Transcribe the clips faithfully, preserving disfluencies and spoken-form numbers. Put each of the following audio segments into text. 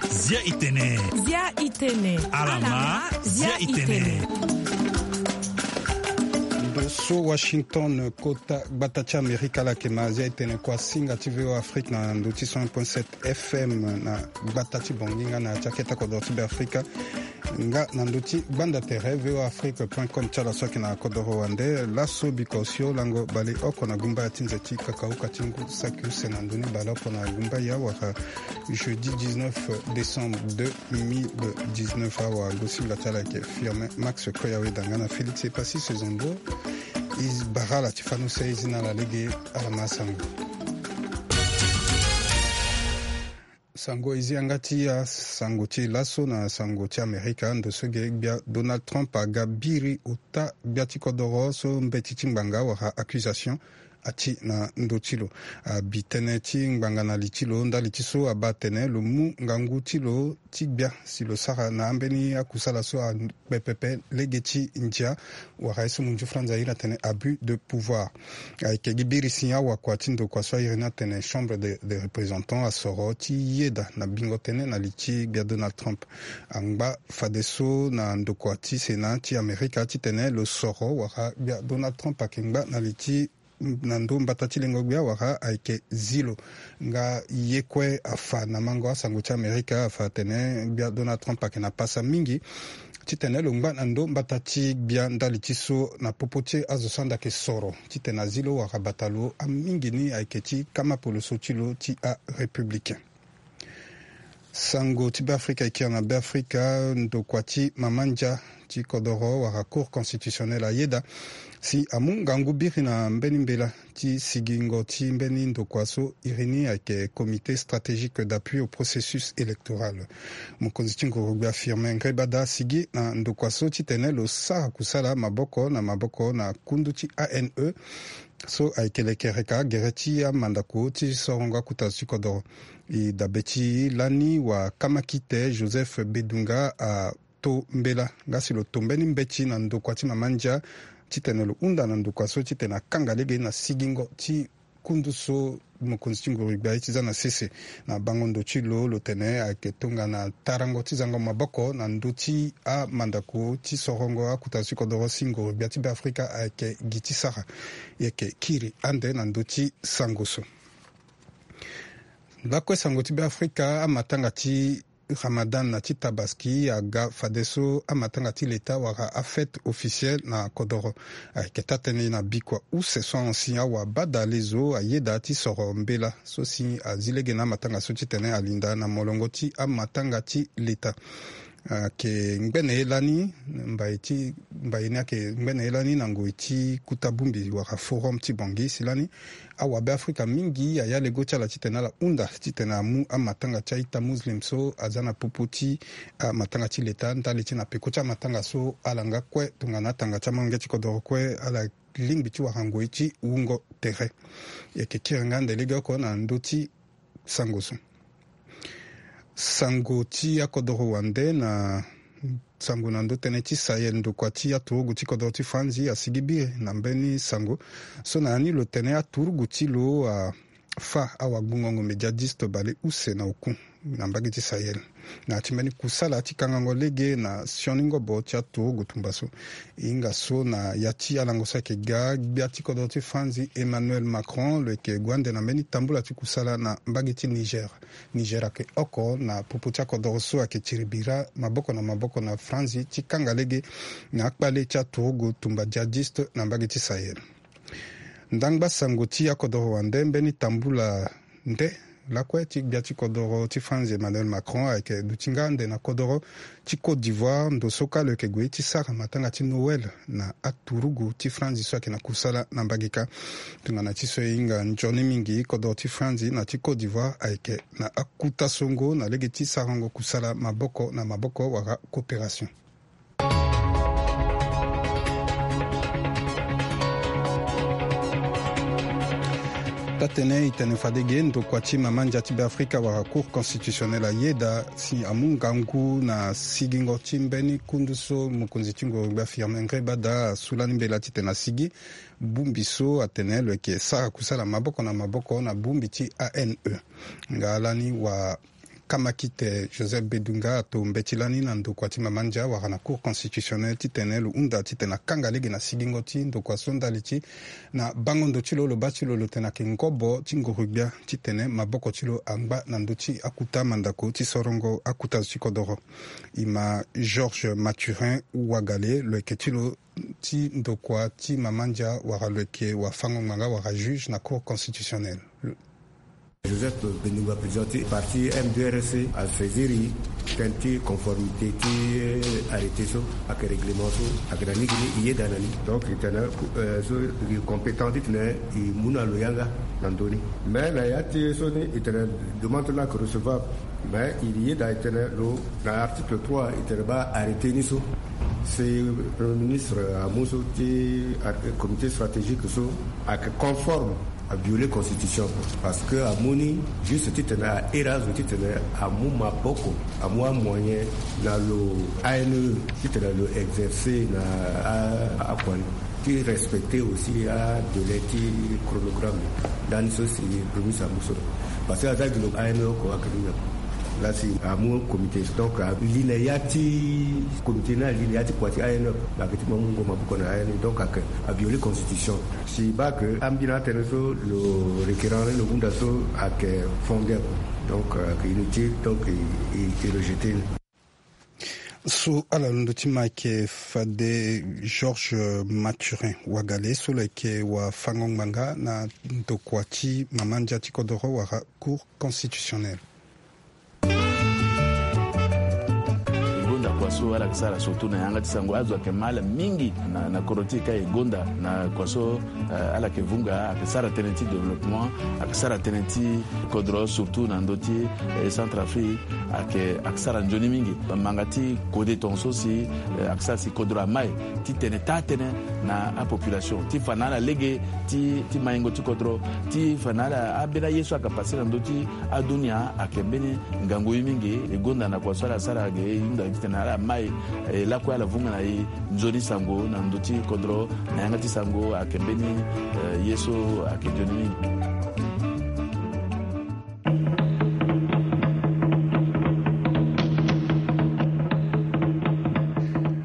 Zia itene. Zia itene. Alama. Zia itene. Ndo so Washington, kota gbata ti Amerika, ala yeke ma zia itene kua singa ti V O A Afrique na ndo ti cent un point sept F M na gbata ti Bangui nga na ti akete kodoro ti Beafrika. Nga na ndo ti gbanda tere V O A Afrique point com ti ala so ayeke na kodoro wande. Laso biko osio lango baleoko na gumbaya ti nze ti kakauka ti ngu saki use na ndo ni baleoko na gumbaya wala jeudi dix-neuf décembre deux mille dix-neuf, awa gosinga ti ala ayeke Firmin Max Koyaweda nga na Félix Epassis Sezombo. E bara ala ti fani use e zi na ala lege. Ala ma sango. Sango e zi yanga ti asango ti laso na sango ti Amerika. Ndo so ge gbia Donald Trump aga biri ota gbia ti kodoro so mbeti ti ngbanga wala accusation ati na ndö ti lo. Abi tënë ti ngbanga na li ti lo ndali ti so abaa atene lo mu ngangu ti lo ti gbia si lo sara na ambeni akusala so akpe pepe lege ti ndia wala ye so munzu franza airi atene abus de pouvoir. Ayeke gi biri si awakua ti ndokua so airi ni atene Chambre des, des Représentants asoro ti yeda na bingo tënë na li ti gbia Donald Trump. Angba fadeso na ndokua ti Sénat ti Amerika titene lo soro wala gbia Donald Trump ayeke ngba na li ti na ndo mbata ti lengo gbia wala ayeke zi lo. Nga ye kue afa na mango asango ti Amerika afa atene gbia Donald Trump ayeke na pasa mingi titene lo ngba na ndo mbata ti gbia ndali ti so na popo ti azo so anda yeke soro titene azi lo wala bata lo amingi ni ayeke ti kama poloso ti lo ti arépublicain. Sango ti Beafrika e kiri na Beafrika, ndokua ti mama ndia ti kodoro wala Cour constitutionnelle ayeda si amu ngangu biri na mbeni mbela ti sigingo ti mbeni ndokua so iri ni ayeke Comité stratégique d'appui au processus électoral. Mokonzi ti nguru gbia Firmin Ngrébada asigi na ndokua so titene lo sara kusala maboko na maboko na kundu ti A N E so ayeke lekereka gere ti amandako ti sorongo akuta ti kodoro. E dabe ti lani wa kamakite Joseph Bedunga ato mbela nga si lo to mbeni mbeti na ndokua ti mama ndia titene lo hunda na ndokua so titene akanga lege na sigingo ti kundu so mokonzi ti nguru gbia ye ti za na sese. Na bango ndo ti lo lo tene ayeke tongana tarango ti zango maboko na ndö ti amandako ti sorongo akuta ti kodoro si nguru gbia ti Beafrika ayeke gi ti sara. E yeke kiri ande na ndö ti sango so. Lakue sango ti Beafrika, amatanga ti Ramadan na ti Tabaski aga fadeso amatanga ti leta wala afête officielle na kodoro. Ayeke taa-tënë na bikua use so ahon si awa bada lezo ayeda ti soro mbela so si azi lege na amatanga so titene alinda na molongo ti amatanga ti leta. Ayeke ngbene ye lani mbai ti mbai ni ayeke ngbene ye lani na ngoi ti kuta bongbi wala forum ti Bangui si lani awabe Afrika mingi aya lego ti ala titene ala hunda titene amu amatanga ti a-ita muslim so aza na popo ti amatanga ti leta ndali ti na peko ti amatanga so ala nga kue tongana atanga ti amolenge ti kodoro kue ala lingbi ti wara ngoi ti wungo tere. E yeke kiri nga ande legeoko na ndö ti sango so. Sango ti akodoro wande na sango na ndö tënë ti Sahel, ndokua ti aturugu ti kodoro ti Franzi asigi biri na mbeni sango so na ya ni lo tene aturugu ti lo afa awagbungo-ngombe djihadiste bale use na oku na mbage ti Sahel na ya ti mbeni kusala ti kangango lege na sioni ngobo ti aturugu tumba so. E hinga so na ya ti alango so ayeke ga gbia ti kodoro ti Franzi Emmanuel Macron lo yeke gue ande na mbeni tambula ti kusala na mbage ti Niger. Niger ayeke oko na popo ti akodoro so ayeke tiri bira maboko na maboko na Franzi ti kanga lege na akpale ti aturugu tumba djihadiste na mbage ti Sahel. Ndangba sango ti akodoro wande mbeni tambula nde lakue ti gbia ti kodoro ti Franzi Emmanuel Macron ayeke duti nga ande na kodoro ti Côte d'Ivoire ndo so kâ lo yeke gue ti sara matanga ti Noël na aturugu ti Franzi so ayeke na kusala na mbage kâ. Tongana ti so e hinga nzoni mingi kodoro ti Franzi na ti Côte d'Ivoire ayeke na akuta songo na lege ti sarango kusala maboko na maboko wala coopération. Atene e tene fade ge ndokua ti mama ndia ti Beafrika wala Cour constitutionnelle ayeda si amu ngangu na sigingo ti mbeni kundu so mokonzi ti ngoro gbia Firmin Ngreba Daa asu lani mbela titene asigi bongbi so atene lo yeke sara kusala maboko na maboko na bongbi ti A N E. Nga lani wa kamakite Joseph Bedunga ato mbeti lani na ndokua ti mama ndia wala na Cour constitutionnelle titene lo hunda titene akanga lege na sigingo ti ndokua so ndali ti na bango ndo ti lo, lo baa ti lo lo tene ayeke ngobo ti nguru-gbia titene maboko ti lo angba na ndö ti akuta mandako ti sorongo akuta zo ti kodoro. E ma Georges Mathurin Ouagalé, lo yeke ti lo ti ndokua ti mama ndia wala lo yeke wafango-ngbanga wala juge na Cour constitutionnelle. Joseph Bedunga, président ti parti M D R C, asaisiri tënë ti conformité ti arrêté so ayeke règlement so ayeke na ni gi ni, e yeda na ni. Donc e tene so e compétent titene e mu na lo yanga na ndö ni. Mais na ya ti so ni e tene demande ti lo ayeke recevable. Mais e yeda e tene lo na article trois e tene baa arrêté ni so si Premier ministre amu so ti comité stratégique so ayeke conforme, aviole constitution. Parce que amu ni juste titene ahiri azo titene amu maboko, amu amoyen na lo A N E titene lo exercer na akua ni ti respecter aussi adélai ti chronogramme. Ndani so si Premier ministre amu so. Parce que aza gi lo A N E oko ayeke ni na laa si amu comité. Donc ali na ya ti comité ni, ali na ya ti kua ti A N E. Ayeke ti mu amungo maboko na A N E, donc ayeke aviole constitution. Si baa ke ambeni atënë so lo requérant ni lo hunda so ayeke fondé, donc ayeke inutile, donc e rejeté ni. So ala londo ti ma ayeke fade Georges Mathurin Ouagalé so lo yeke wafango-ngbanga na ndokua ti mama ndia ti kodoro wala Cour constitutionnelle. E gonda kua so ala yeke sara surtout na yanga ti sango, azo ayeke ma ala mingi na, na kodro ti e ka e gonda na kua so, eh, ala yeke vunga, ayeke sara tënë ti développement, ayeke sara tënë ti kodro surtout na ndö ti, eh, Centrafrique, ayeke, ayeke sara nzoni mingi. Manga ti kode tongaso si, eh, ayeke sara si kodro amai ti tene taa tënë na apopulation ti fa na ala lege ti, ti maingo ti kodro, ti fa na ala ambeni aye so ayeke pase na ndö ti adunia ayeke mbeni ngangu ye mingi. E gonda na kua so ala sara ge e hunda titene ala mai, e lakue ala vunga na e nzoni sango na ndö ti kodro na yanga ti sango ayeke mbeni, eh, ye so ayeke nzoni mingi.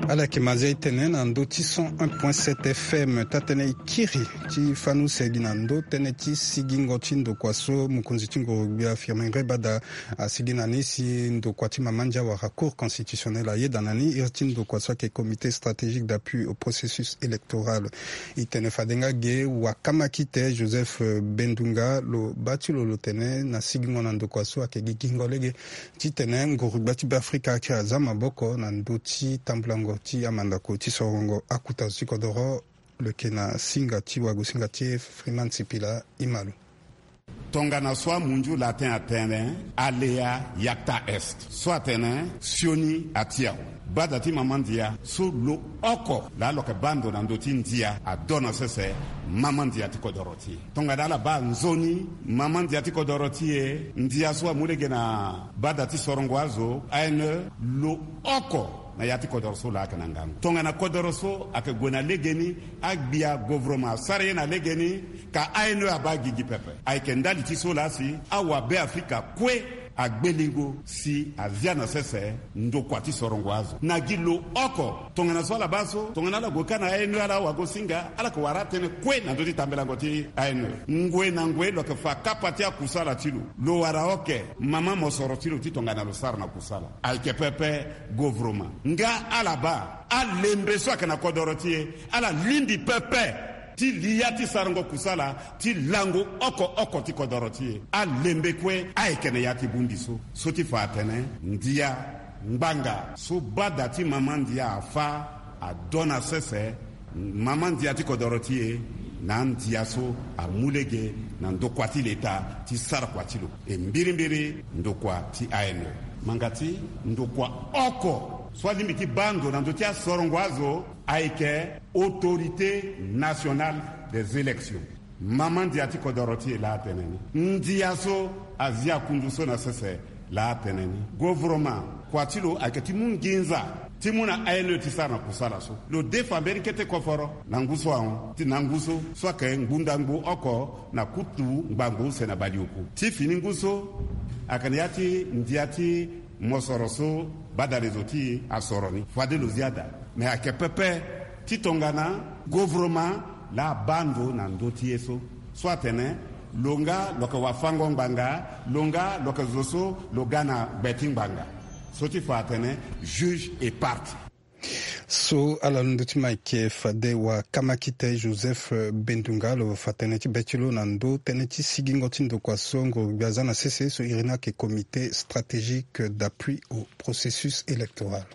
Ala yeke mazia e tene na ndö ti cent un point sept F M, taa tënë e kiri ti fani use gi na ndö tënë ti sigingo ti ndokua so mokonzi ti nguru-gbia Firmin Ngreba Daa asigi na ni si ndokua ti mama ndia wala Cour constitutionnelle ayeda na ni iri ti ndokua so ayeke Comité stratégique d'appui au processus électoral. E tene fade nga ge wakamakite Joseph Bendunga lo baa ti lo lo tene na sigingo na ndokua so ayeke gigingo lege titene nguru-gbia ti Beafrika ayeke aza maboko na ndö ti tambulango ti amandako ti sorongo akuta zo ti kodoro. Lo yeke na singa ti wagosinga ti e Freeman Sipila, e ma lo. Tongana so amunzu latin atene alea iacta est, so atene sioni ati awe. Bada ti mama ndia so lo oko laa lo yeke baa ndo na ndö ti ndia ado na sese mama ndia ti kodoro ti e. Tongana ala baa nzoni mama ndia ti kodoro ti e, ndia so amu lege na bada ti sorongo azo, A N E, lo oko na ya ti kodoro so laa ayeke na ngangu. Tongana kodoro so ayeke gue na legeni, agbia govoroma asara ye na legeni, ka A N E abaa gigi pepe. Ayeke ndali ti so laa si awabeafrika kue agbelingo si azia na sese ndokua ti sorongo azo na gi lo oko. Tongana so ala baa so, tongana ala gue ka na A N E, ala wagosinga, ala yeke wara atënë kue na ndö ti tambelango ti A N E. Ngoi na ngoi lo yeke fa kapa ti akusala ti lo. Lo wara oke mama mosoro ti lo ti tongana lo sara na kusala. Ayeke pepe govoroma. Nga ala baa alembe so ayeke na kodoro ti e, ala lingbi pepe ti li ya ti sarango kusala ti lango oko oko ti kodoro ti e. Alembe kue ayeke na ya ti bongbi so. So ti fa atene ndia ngbanga so bada ti mama ndia afâ ado na sese mama ndia ti kodoro ti e na andia so amu lege na ndokua ti leta ti sara kua ti lo. E mbirimbiri ndokua ti A N E. Manga ti ndokua oko so alingbi ti baa ndo na ndö ti asorongo azo ayeke Autorité Nationale des Élections. Mama ndia ti kodoro ti e laa atene ni, ndia so azia kundu so na sese laa atene ni. Gouvernement, kua ti lo ayeke ti mu nginza ti mu na aine ti sara na kusala so. Lo defa mbeni kete koforo na ngu so ahon ti na ngu so, so ayeke ngbunda ngu oko na kutu ngbangbo use na baleoku. Ti fini ngu so ayeke na ya ti ndia ti mosoro so badale zo ti e asoro ni, fade lo zia daa. Me ayeke pepe ti tongana gouvernement laa abaa ndo na ndö ti ye so, so atene lo nga lo yeke wafango ngbanga, lo nga lo yeke zo so lo ga na gbe ti ngbanga. So ti fa atene juge et partie. So ala londo ti ma eke fade wa kamakite Joseph Bendunga lo fa tënë ti be ti lo na ndö tënë ti sigingo ti ndokua so ngoro gbia aza na sese so iri ni ayeke Comité stratégique d'appui au processus électoral.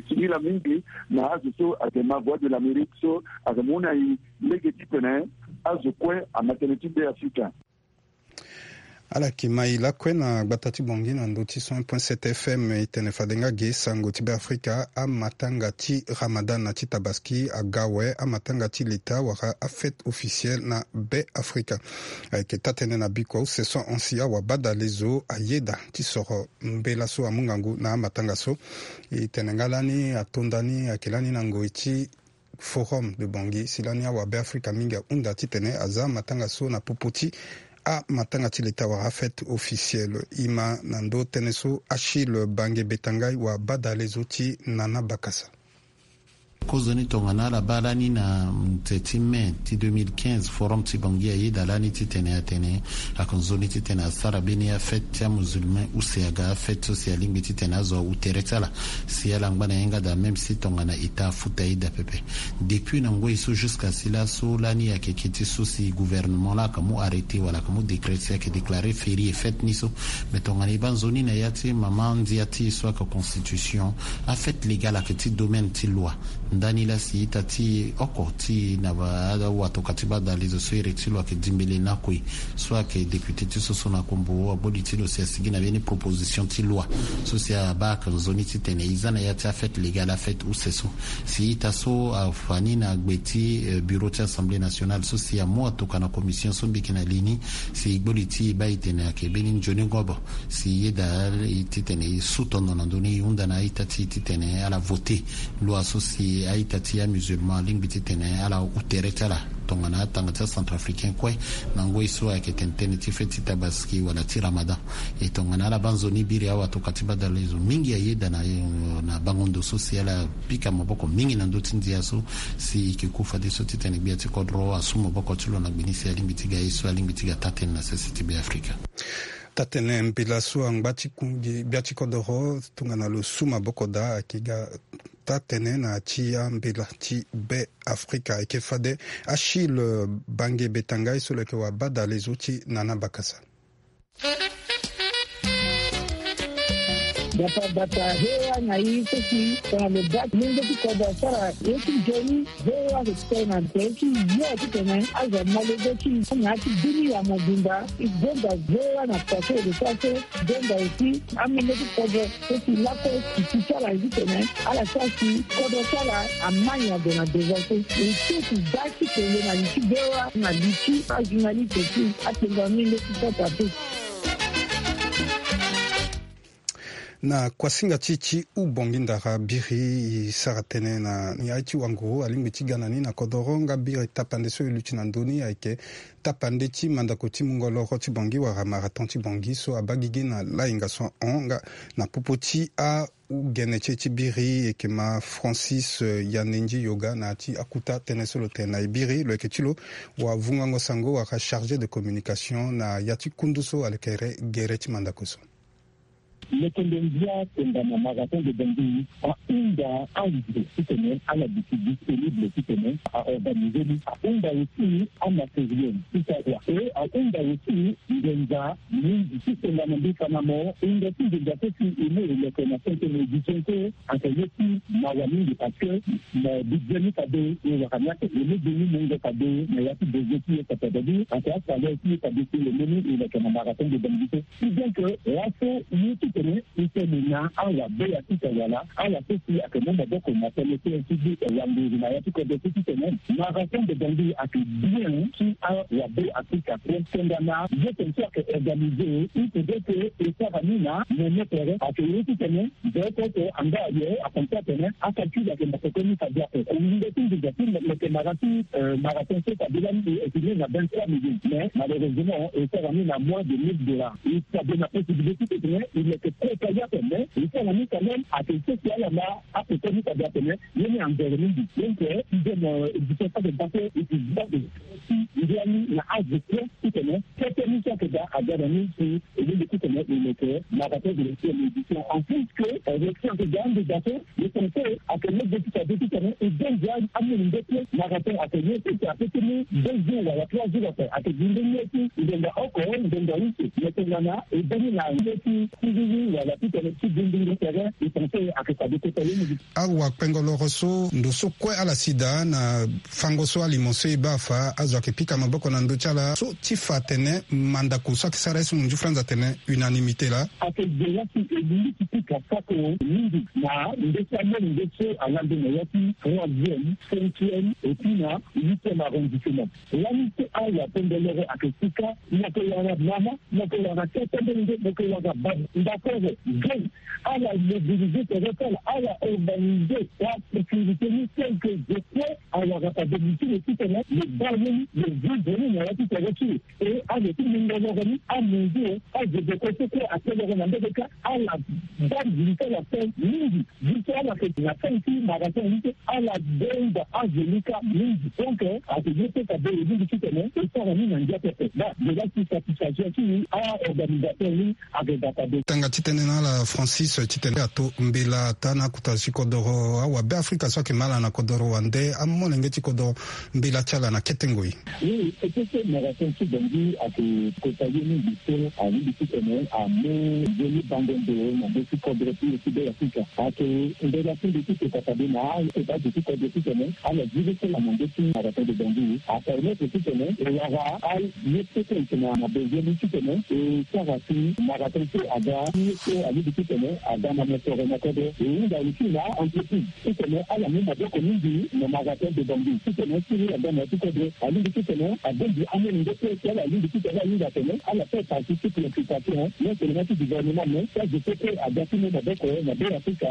Ti nila mingi na azo so ayeke ma Voix de l'Amérique so ayeke mu na e lege titene azo kue ama tënë ti Be Afrika. Ala yeke ma e lakue na gbata ti Bangui na ndö ti cent point sept F M, e tene fade nga ge sango ti Be Afrika, amatanga ti Ramadan na ti Tabaski aga awe amatanga ti leta wala afête officielle na Be Afrika. Ayeke taa-tënë na bikua use so ahon si awabadale zo ayeda ti soro mbela so amu ngangu na amatanga so. E tene nga lani atonda ni ayeke lani na ngoi ti Forum de Bangui si lani awabe Afrika mingi ahunda titene aza matanga so na popo ti amatanga ti leta wala afête officielle. E ma na ndö tënë so Achille Bange Betangai wabadale zo ti Nana Bakasa. Kozoni tongana ala baa lani na nze ti mai ti deux mille quinze, Forum ti Bangui ayeda lani titene atene ayeke nzoni titene asara mbeni afête ti amusulman use aga afête so si alingbi titene azo awu tere ti ala. Si ala ngba na yanga daa même si tongana ita afuta ida pepe. Depuis na ngoi so jusqu'à si laso lani ayeke keti so si gouvernement laa ayeke mu arrêté wala ayeke mu décret si ayeke déclaré férié fête ni so. Mais tongana e baa nzoni na ya ti mama ndia ti e so ayeke constitution, afête légale ayeke ti domaine ti loi. Ndani laa si ita ti oko ti na ba awatoka ti badale zo so iri ti lo ayeke dimbele na kue so ayeke député ti so so na kombo agboli ti lo si asigi na mbeni proposition ti loi so si abaa ayeke nzoni titene e za na ya ti afête légale afête use so. Si ita so afa ni na gbe ti bureau ti assemblée nationale so si amu atoka na commission so mbiki na li ni. Si e gboli ti e baa e tene ayeke mbeni nzoni ngobo si e yeda titene e su tondo na ndö ni e hunda na a-ita ti e titene ala voté loi so si a-ita ti amusulman alingbi titene ala hu tere ti ala tongana atanga ti acentrafricain kue na ngoi so ayeke tene tënë ti fête ti Tabaski wala ti Ramadan. E tongana ala baa nzoni biri awatoka ti badale zo mingi ayeda na, na bango ndo so si ala pika maboko mingi na ndö ti ndia so si e yeke ku fadeso titene gbia ti kodro asu maboko ti lo na gbe ni si alingbi ti ga ye so alingbi ti ga taa-tënë na sese ti Be Afrika. Taa-tënë mbela so angba ti kungi gbia ti kodoro tongana lo su maboko daa ayeke ga taa-tënë na ya ti ambela ti Be Afrika. Ayeke fade Achille Bange Betangai so lo yeke wabadale zo ti Nana Bakasa. Bata bata hewa na i so si tongana lo baa lenge ti kodro asara ye ti nzoni. Ve wa ke tene na tene ti yo titene azo ama lege ti na ya ti dunia mobimba. E gonda ve wa na pase ode so aso gonda aussi amenge ti kodro so si lakue si ti ti ala titene ala sara si kodro ti ala ama nyango na devant so. E so si da ti kele na li ti ve wa na li ti ajournaliste ti atenga menge ti kota te. Na kuasinga ti e ti hubongi ndara biri e sara tënë na ya ti wanguru alingbi ti ga na ni na kodoro nga biri tapande so e luti na ndö ni ayeke tapande ti mandako ti mungo loro ti Bangui wala marathon ti Bangui so abaa gigi na lahinga so ahon nga na popo ti ahugene ti e ti biri e yeke ma Francis, eh, Yanenji Yoga na ya ti akuta tënë so lo tene na e biri lo yeke ti lo wavungango sango wala chargé de communication na ya ti kundu so alekere gere ti mandako so. Lokondo ndia tongana marathon de Bangui ahunda azo titene ala duti disponible titene a organiser ni. Ahunda aussi amatériel ti sara kua. E ahunda aussi ngonza mingi ti tongana mbi fa na mo, hunda ti ngonza so si e mu e leke na cinquième édition so ayeke ye ti mawa mingi parce que na budget ni fade e wara ni ayeke e mu beni mungo fade na ya ti budget ti e pepe. Fade ayeke asalaire ti e fade si e mu ni e leke na marathon de Bangui so. Si donc laso ye ti Titene na awabe ya sika wala ala so si ayeke mu maboko na tënë ti ti wanguru na ya ti kodro so titene marathon de Bangui ayeke bien ti awabe Afrika. Tongana ye tene so ayeke organize, il faudrait que e sara ni na mene tere ayeke ye titene nze oko oko anga aye akonte atene acalcul ayeke na koko ni fade ape. Nginza ti nginza ti lo yeke mara ti marathon so fade lani e estimé na vingt-trois millions, mais malheureusement e sara ni na moins de mille dollars. E fade na possibilité titene e yeke kota ye ape, mais e sara ni quand même ayeke sese ala na akoko ni fade atene ye ni anzere mingi. Donc sixième édition fade base e ti base ndia ni na azo kue titene kete ni so ayeke daa aga na ni si e lingbi titene e yeke marathon de la sixième édition. En plus que réaction ayeke daa ande daa so, le conseil ayeke lege ti fade titene e baa ndia amolenge kue marathon ayeke ye ti ti ape ti mu deux jours wala trois jours ape ayeke gi nde ye ti ngonga oko ngonga use. Mais tongana e baa ni na ye ti siriri wala titene ti gi ndingo tere, le conseil ayeke fade kota ye mingi. Awakpengo loro so ndo so kue ala si daa na fango so alimo so e baa afa, azo ayeke pika maboko na ndö ti ala so ti fa atene mandako so ayeke sara ye so munzu franz atene unanimité laa. Ayeke ge laa si e lingbi ti pika sako mingi na ndö ti amolenge so alande na ya ti troisième, cinquième et puis na huitième arrondissement. Lani so awakpengo loro ayeke sika, mo yeke wara mama, mo yeke wara tete molenge, mo yeke wara baba, ndakoro, jeune, ala mobiliser tere ti ala, ala organiser asécurité ni tel que je peux. Awara fade mutu lo titene lo baa ye ni, lo vivre ni na ya ti tere ti lo. E azo ti lingoloro ni, amesure, azo deko so kue ateloro na mbege kâ, ala baa nginza ti ala ape mingi. Ye so ala yeke na fin ti marathon ni so ala denga azo ni kâ mingi. Donc ayeke ye so fade e lingbi titene e sara ni na ndia pepe. Ba de la ti satisfaction ti aorganisateur ni. Tanga ti tënë na ala Francis titene ato mbela ataa na akota ti kodoro awabe Afrika so ayeke ma ala na kodoro wande amolenge ti kodoro mbela ti ala na kete ngoi. Oui, e peut ti marathon ti Bangui ayeke kota ye mingi so alingbi titene amu ye ni bango ndo na ndö ti kodro ti e ti Be Afrika. Ayeke mbela ti mbi ti kota fade na akota azo ti kodro titene ala zi le so na ndö ti marathon de Bangui apermettre titene e wara a Ye so kue e yeke na, na besoin ni titene e sara si marathon so aga, ye so alingbi titene aga na mosoro na kodro. E hunda aussi na entreprise titene ala mu maboko mingi na marathon de Bangui titene siriri aga na ya ti kodro. Alingbi titene abongbi amolenge kue si ala lingbi titene ala hinga atene ala fait partie ti préoccupation non seulement ti gouvernement mais ti azo so kue aga ti mu maboko na Be Afrika.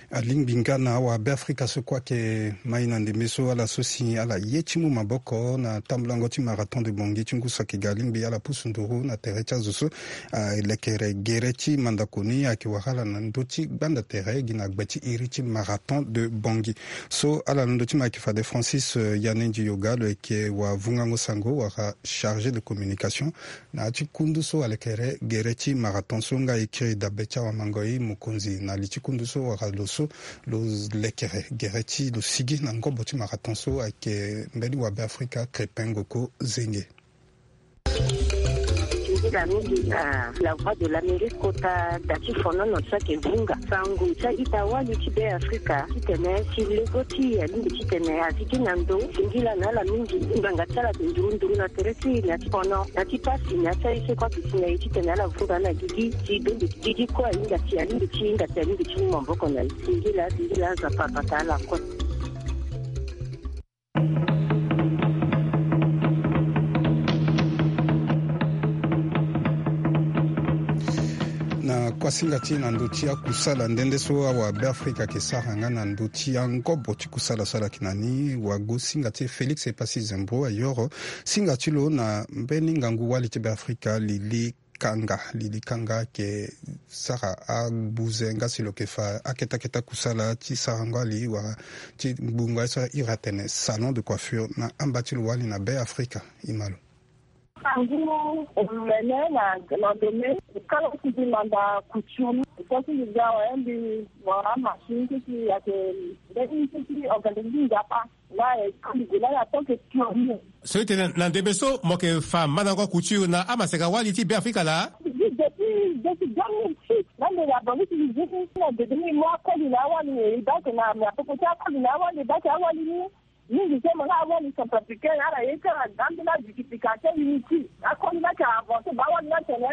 Alingbi nga na awabeafrika so kue ayeke mai na ndembe so ala so si ala ye ti mu maboko na tambulango ti marathon de Bangui ti ngu so ayeke ga. Alingbi ala pusu nduru na tere ti azo so alekere gere ti mandako ni ayeke wara ala na ndö ti gbanda tere gi na gbe ti iri ti marathon de Bangui. So ala londo ti mo ayeke fade Francis, eh, Yanendi Yoga lo yeke wavungango sango wala chargé de communication na ya ti kundu so alekere gere ti marathon so. Nga e kiri dabe ti awamangoi mokonzi na li ti kundu so wala lo so lo lekere gere ti lo sigi na ngobo ti marathon so ayeke mbeni wabeafrika Crépin Goko Zenge. Nzila mingi na La Voix de l'Amérique kota da ti fonono so ayeke vunga sango ti a-ita wali ti Be Afrika titene si lego ti e alingbi titene azi gi na ndo. Singila na ala mingi ngbanga ti ala ayeke nduru nduru na tere ti e na ya ti fono na ya ti pasi na ya ti aye so e kue ayeke si na e titene ala vunga na gigi si donde gigi kue ahinga si alingbi ti hinga si alingbi ti mu maboko na e. Singila singila Nzapa abata ala kue. Na kuasinga ti e na ndö ti akusala nde nde so awabeafrika ayeke sara nga na ndö ti angobo ti kusala so ala yeke na ni, wago singa ti e Félix Epassi Zembro ayoro singa ti lo na mbeni ngangu wali ti Beafrika Lili Kanga. Lili Kanga ayeke sara agbuze nga si lo yeke fa akete akete akusala ti sarango ali wala ti gbungo aye so ahiri atene salon de coiffure na amba ti lo wali na Beafrika. E ma lo. Sango omene na, na ndeme kala ti mbi manda couture. Kue ti mbi ga waye mbi wara machine ti ti ayeke mbeni ti ti organisme Nzapa. Là, eh, quand il est là, en tant que pionnier. So e tene na ndembe so mo yeke fa mandango couture na amaseka wali ti Beafrika laa? Depuis, depuis deux mille six, na ndembe abongi ti zi na ndembe ni mo akoli na awali, eh, donc na, na popo ti akoli na awali, donc awali ni. Mingi so mo na awali centrafricaine ala ye ti ala gambi na dikidiki ake inutile. Akoli ni ayeke avancer baa awali ni atene,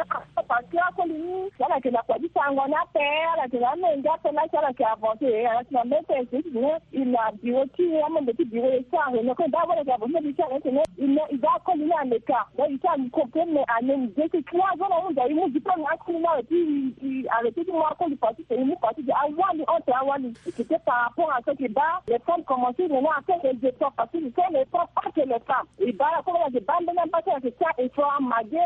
parce que akoli ni ala yeke na kua ti sango ni ape. Ala yeke na amenge ape laa si ala yeke avancer e ala yeke na mete ese ti tene e na biro ti e amembe ti biro e ti ala réunion kue baa awali ayeke avancer na biro ti ala ni tene e na e ga akoli ni aleka. Donc e ti ala comprendre mais ane e de ti trois ans na ahunda e mu diplôme na akoli ni awe ti e arrêter ti mu akoli parti tene e mu parti de awali entre awali. C'était par rapport à ce que baa les femmes commencer maintenant à faire des efforts parce que ce sont les femmes pas que les femmes. E baa ala kue ala yeke baa mbeni amba ti ala yeke sara effort amage.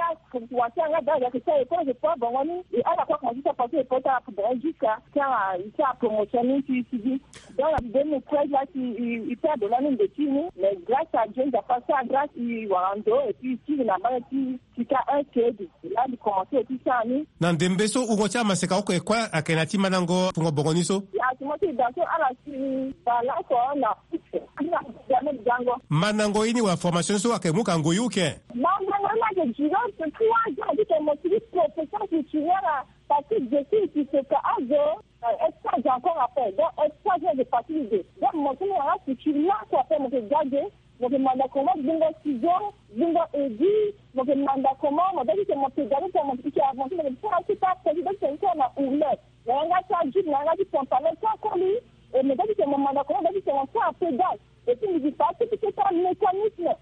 Wasi anga da yeke sara effort effort bongo ni e ala kue akomanse ti apase effort ti ala bongo jusqu'à ti ala ti ala promotion ni ti e sigi. Donc na deux mille treize laa si e perdre lani ndeti ni mais grâce à Dieu Nzapa asara grâce e wara ndo et puis e kiri na mbage ti Sika un code. Laa mbi commencer ti sara ni. Na ndembe so wungo ti amaseka oko e kue ayeke na ya ti mandango fungo bongo ni so. Si atimo ti da so ala si baa laso na Mandango ye ni wala formation ni so ayeke mu ka ngoi uke? Mandango ye ni ayeke duré trois ans ti tene mo sigi profession culturelle. Parce que je suis Sissoka azo. Extra encore après donc extra je de partie de donc mo so mo yanga culture laso après mo ke ga ge. Mo ke manda comment gbingo sizo, gbingo edi. Mo ke manda comment mo dati ke mo ke gari ke mo ke avancer mo ke sara ti ta pesi dati ke sara na ourlet. Na yanga ti ajib na yanga ti pantalon ti akoli. Et mo dati ke mo manda comment dati ke mo sara pédale. Et puis mo ke fa ti ti ti ta mécanisme.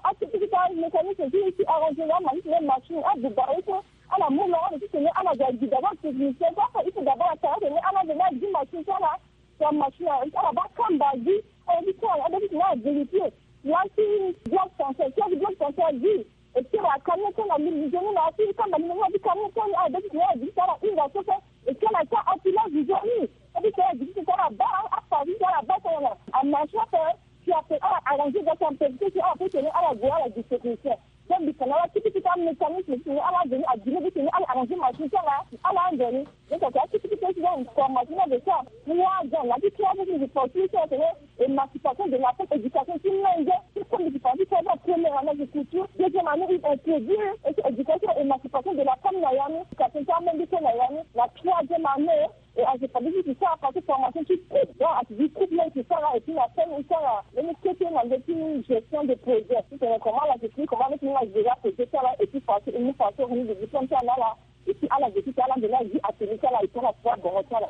Activité ti amécanisme ti ti arrangé na machine na machine abuba ye so. Ala mu longo ti tene ala ga gi d'abord technicien so afa il faut d'abord atara tene ala veni agi machine so ala. Sa machine ala baa kamba agi. Ala ti tene ala vérifier. Laa ti bloc français ti agi bloc français agi. Et puis ala camion so na lili nzoni na ti kamba lili nzoni na ti camion so ni ala be ti tene ala gi ti tene ala hinga so so. Et puis ala ti apilage nzoni. Abi ti tene ala gi ti tene ala baa afa ti tene ala baa tene na amachine ape. Si ape ala arranger ga ti ampevite si ala pe tene ala gue ala gi technicien. Donc mbi tene ala ti ti ti amécanisme ti tene ala veni agine ti tene ala arranger machine ti ala ala anzoni. Donc ake akiti ti pe ti donc formation na de ça. Trois ans na ti trois ans ti mbi forti ti tene émancipation de la femme éducation ti menge ti comme mbi ti fa ti trois ans première année agriculture deuxième année il introduire et puis éducation émancipation de la femme na ya ni éducation ti amenge so na ya ni na troisième année. Et en fait, tu ça parce que formation tu coupes. Donc, tu dis coupe même tu ça là et puis la peine et ça là. Mais nous que tu as une gestion de projet. Tu sais comment la gestion, comment avec nous la gérer projet ça là et puis parce que nous faisons une gestion ça là là. Et puis à la gestion ça là, de la vie à celui ça là et puis la foi dans ça là.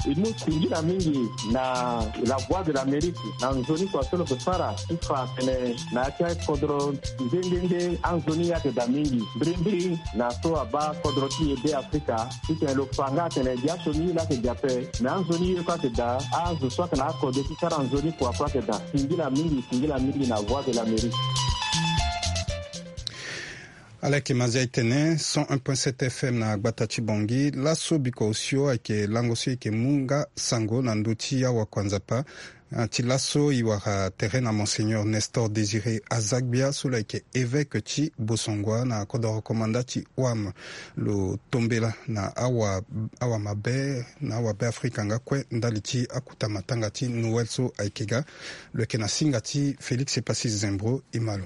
E mu singila mingi na la voix de l'Amérique na nzoni kua so lo ke sara ti fa tene na ya ti akodro nde nde nde anzoni ayeke daa mingi mbirimbiri na so abaa kodro ti e be Afrika. Titene lo fa nga atene gi asioni ye laa ayeke gi ape me anzoni ye kue ayeke daa. Azo so ayeke na akode ti sara nzoni kua kue ayeke daa. Singila mingi singila mingi na voix de l'Amérique. Ala yeke Mazia e tene cent un point sept F M na gbata ti Bangui. Laso biko osio ayeke lango so e yeke mu nga sango na ndö ti awakua Nzapa. Ah, ti laso e wara tere na Monseigneur Nestor Désiré Azagbia so lo yeke évêque ti Bossangoa na kodoro komanda ti O A M. Lo tombela na awa, awa mabe na awa Be Afrika nga kue ndali ti akuta matanga ti Noël so ayeke ga. Lo yeke na singa ti Félix Epassis Zembro e ma lo.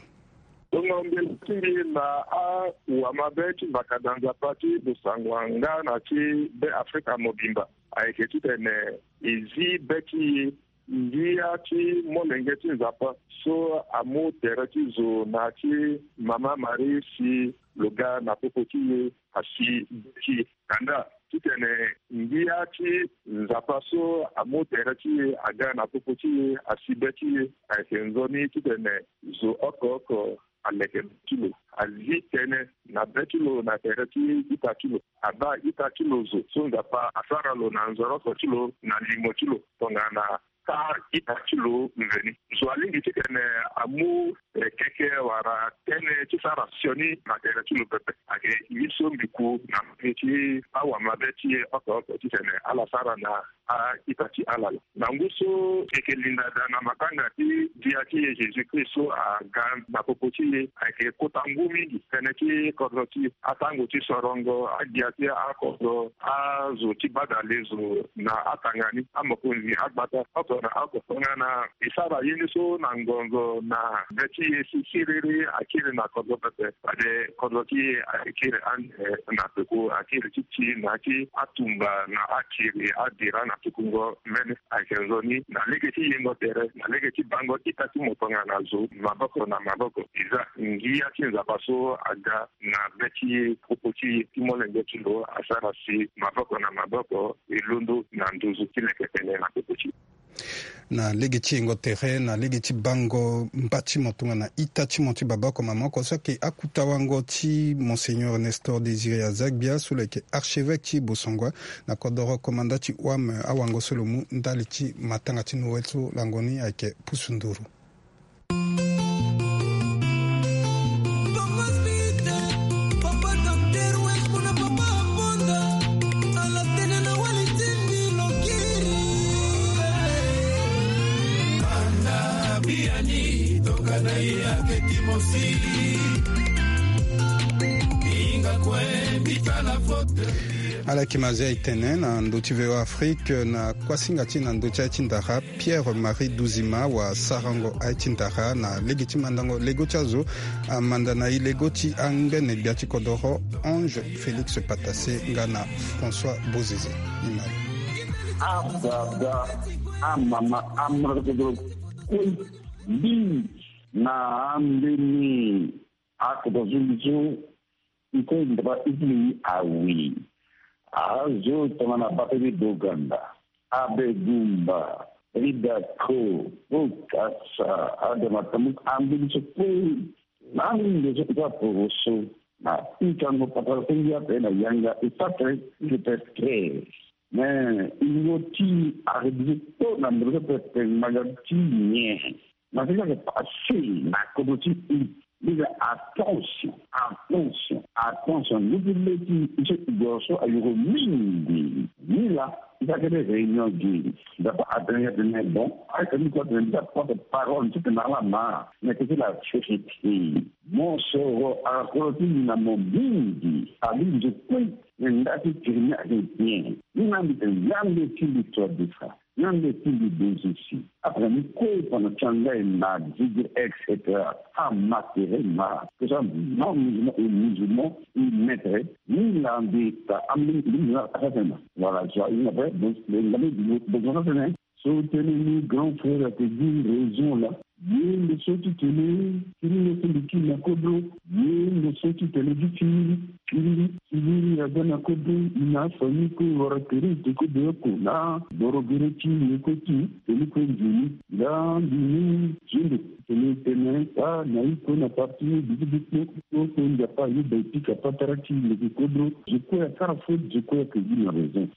Tonga mbela ti mbi na awamabe ti mbakada Nzapa ti Bossangoa nga na ti Be Afrika mobimba ayeke titene e zi be ti e ngia ti molenge ti Nzapa so amu tere ti zo na ya ti Mama Marie si lo ga na popo ti e asi be ti e. Kanda titene ngia ti Nzapa so amu tere ti e aga na popo ti e asi be ti e ayeke nzoni titene zo oko oko aleke be ti lo, azi tënë na be ti lo na tere ti ita ti lo, abaa ita ti lo zo so Nzapa asara lo na nzoroko ti lo na limo ti lo tongana taa ita ti lo mveni. Zo alingbi titene amu eh, keke wala tënë ti sara sioni na tere ti lo pepe. Ayeke ye so mbi ku na mbage ti awamabe ti e oko oko titene ala sara na a-ita ti ala laa. Na ngu so e yeke linda daa na matanga ti Gbia ti e Jésus-Christ so aga na popo ti e, ayeke kota ngu mingi tënë ti kodro ti e, atango ti sorongo, agbia ti akodro, azo ti badale zo na atanga ni, amokonzi agbata oko na oko. Tongana e sara ye ni so na ngonzo na be ti e si siriri akiri na kodro pepe. Fade kodro ti e akiri ande na peko, akiri ti ti na ti atumba na akiri adira na Tukungo mbeni ayeke nzoni na lege ti yengo tere, na lege ti bango ita ti mo tongana zo maboko na maboko. E za ngia ti Nzapa so aga na be ti popo ti e ti molenge ti lo asara si maboko na maboko e londo na nduzu ti leke tene na popo ti e. Na lege ti yengo tere, na lege ti bango mba ti mo tongana ita ti mo ti babâ oko mama oko so ayeke akuta wango ti Monseigneur Nestor Désiré Azagbia so lo yeke archevêque ti Bossangoa na kodoro komanda ti wam awango so lo mu ndali ti matanga ti Noël so lango ni ayeke pusu nduru. Ala yeke ma zia e tene na ndö ti V O A Afrique na kuasinga ti e na ndö ti aye ti ndara Pierre Marie Duzima wa sarango aye ti ndara na lege ti mandango lego ti azo, amanda na e lego ti angbene gbia ti kodoro Ange Félix Patassé nga na François Bozizé. Ni ma. Ababa, amama, amrkdro, kue, bi, na ambeni, akodro zumbi zo, Nkoy Ndaba Italy awi. Azo tongana Bakary Boganda, Abe Gumba, Rida Ko, Bokassa, Adama Tamuk, ambeni so kue. Na ando so ita poroso na pikango patara so ngia ape na yanga e sara tene i ke tene. Mais i ngo ti arebiso kpo na ndoro so pepe ngbanga ti nyen. Na fika ke passé na kodro ti i. Ni ga attention, attention, attention. Ngu ti le ti i so i goro so ayoro mingi. Ni la i sara kete réunion gi. Nzapa atene ya tene bon, aye tene ni kue atene ni sara porte parole ti tene na ala ma. Mais que c'est la vérité. Mo soro akoro ti ngi na mo mingi. Abi nzokue. Mais nda ti tene ni ayeke bien. Ni na mbi tene ya mbi ti mbi to adesa. Yande ti mbi bozisi. Après ni kue pendant ti angai na Zigre, et cetera. Amatere ma. Tout ça, non musulman et musulman, il maître. Ni la mbi ta ambi musulman asasema. Voilà, je vois une vraie, donc, le, le, le, le, le, le, so tene ni grand frère ayeke gi raison la. Ye ndo so ti tene kiri ye so mbi kiri na kodro. Ye ndo so ti tene gi kiri kiri kiri aga na kodro. I na afamille kue wara tere i te kodro oko na boro gere ti ye kue ti tene kue nzoni. Nga mbi ni zendo tene tene a na i kue na parti ni bigi bigi kue kue Nzapa ayeda e pika patara ti leke kodro. Je kue asara faute, je kue ayeke gi na raison.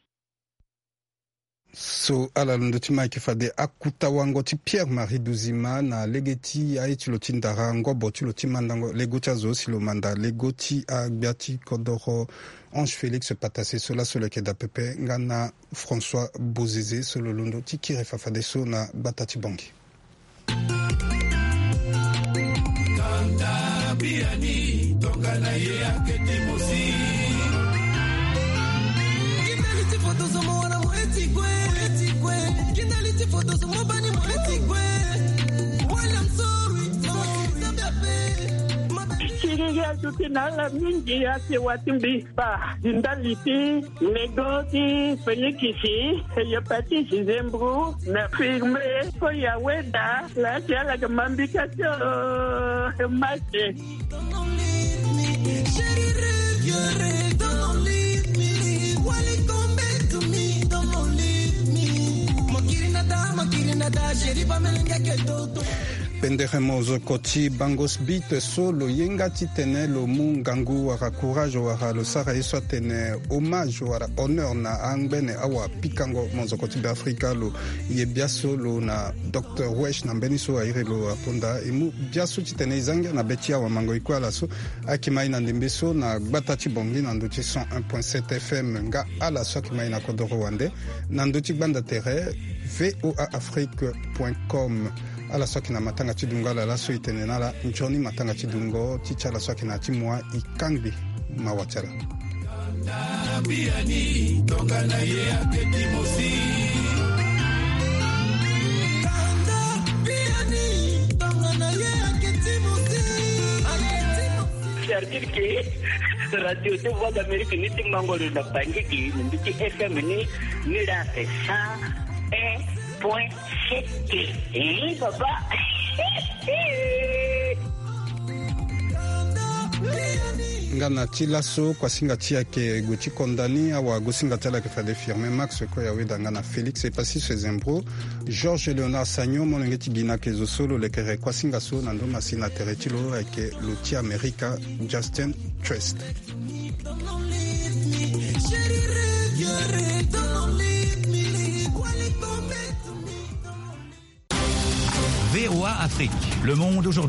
So ala londo ti ma ayeke fade akuta wango ti Pierre Marie Duzima na lege ti aye ti lo ti ndara ngobo ti lo ti mandango lego ti azo si lo manda lego ti agbia ti kodoro Ange Félix Patassé so laso lo yeke daa pepe nga na François Bozizé so lo londo ti kiri fa fadeso na gbata ti Bangui. Siriri aduti na ala mingi ake wa ti mbi. Ba di ndali ti lego ti fenikisi, hepatite, zembro na firme. Ko ya weda la ti ala ga mambika ti o mate. Pendere mozoko ti bango sbit so lo ye nga titene lo mu ngangu wala courage wala lo sara ye so atene hommage wala honneur na angbene awapikango mozoko ti Beafrika. Lo ye biaso lo na docteur Wesh na mbeni so airi lo aponda e mu biaso titene e za ngia na be ti awamango e kue ala so. Akima e na ndembe so na gbata ti Bangui na ndö ti cent un point sept F M nga ala so akima e na kodoro wande na ndö ti gbanda tere V O A Afrique point com. Ala so ayeke na matanga ti dungo ala laso e tene na ala nzoni matanga ti dungo ti ti ala so ayeke na ya ti mua e kangbi. Mawa ti ala. C'est-à-dire que Radio ti Voix d'Amérique ni ti mango lo na Bangui gi na mbi ti F M ni, ni la ake cent un point sept. Eh, papa. Nga na ti laso kuasinga ti e ayeke gue ti konda ni, awagosinga ti ala ayeke fade Firmin Max Koya, weda nga na Félix Epassi Sezembro, Georges Léonard Sagnon, molenge ti gi na ake zo so lo lekere kuasinga so na ndo ma si na tere ti lo ayeke lo ti Amerika, Justin Trust. V O A Afrique, le monde aujourd'hui.